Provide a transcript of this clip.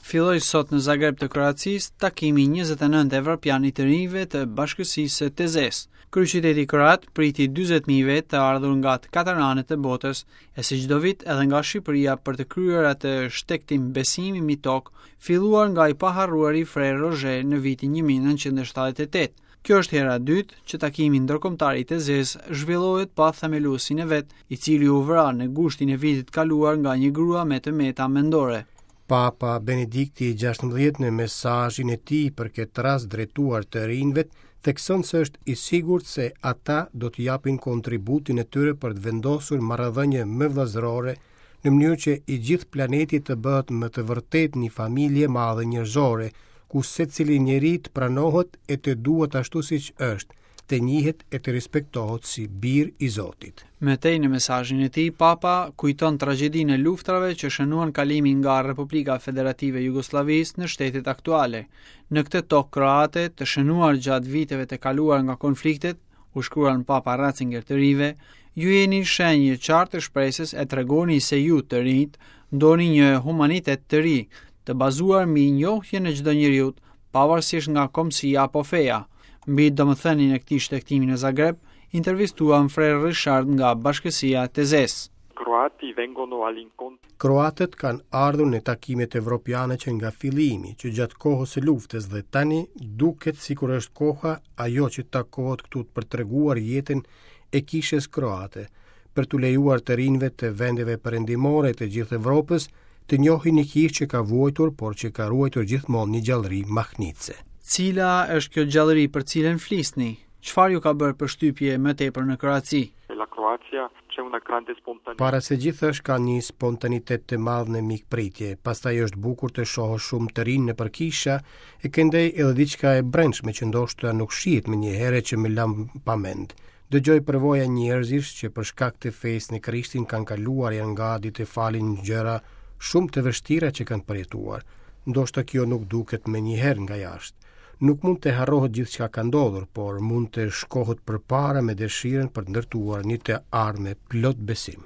Filloi sot në Zagreb të Kroacisë takimi 29 evropian i të rinjve të bashkësisë së Tezesë. Kryeqyteti kroat priti 40.000 vetë të ardhur nga të katër anët e botës, e si çdo vit edhe nga Shqipëria për të kryer atë shtegtim besimi mbi tokë, filluar nga i paharruari Frer Rozhe në vitin 1978. Kjo është hera e dytë që takimi ndërkombëtar i Tezesë zhvillohet pa themeluesin e vet, i cili u vra në gushtin e vitit të kaluar nga një grua me të meta mendore. Papa Benedikti XVI në mesazhin e tij për këtë rast drejtuar të rinjve, thekson se është i sigurt se ata do të japin kontributin e tyre për të vendosur marrëdhënie më vëllazërore në mënyrë që i gjithë planeti të bëhet me të vërtetë një familje e madhe njerëzore, ku secili njeri të pranohet e të duhet ashtu siç është, të njihet e të respektohet si bir i Zotit. Më tej në mesazhin e tij, Papa kujton tragjedinë e luftrave që shënuan kalimin nga Republika Federative e Jugosllavisë në shtetet aktuale. Në këtë tokë kroate, të shënuar gjatë viteve të kaluar nga konfliktet, u shkruan Papa Ratzinger të rinjve, ju jeni shenjë e qartë e shpresës e tregoni se ju të rinjtë doni një humanitet të ri, të bazuar mbi njohjen e çdo njeriu, pavarësisht nga kombësia apo feja. Mbi domethënien e këtij shtegtimi në Zagreb, intervistuam Frer Richard nga Bashkësia e Tezesë. Croati vengono all'incontro. Kroatët kanë ardhur në takimet evropiane që nga fillimi, që gjatë kohës së luftës dhe tani duket sikur është koha ajo që takohet këtu për të treguar jetën e kishës kroate, për t'u lejuar të rinjve të vendeve perëndimore të gjithë Evropës të njohin një kishë që ka vuajtur, por që ka ruajtur gjithmonë një gjallëri mahnitëse. Cila është kjo gjallëri për cilën flisni? Çfarë ju ka bërë përshtypje më tepër në Kroaci? La Croazia c'è una grande spontaneità. Para së gjithash ka një spontanitet të madh në mikpritje, pastaj është bukur të shohësh shumë të rinj nëpër kisha, e këndej edhe diçka e brendshme që ndoshta nuk shihet menjëherë që më la pa mend. Dëgjoj përvoja njerëzish që për shkak të fesë në Krishtin kanë kaluar janë gati të falin gjëra shumë të vështira që kanë përjetuar. Ndoshta kjo nuk duket menjëherë nga jashtë. Nuk mund të harrohet gjithçka ka ndodhur, por mund të shkohet përpara me dëshirën për të ndërtuar një të ardhme plot besim.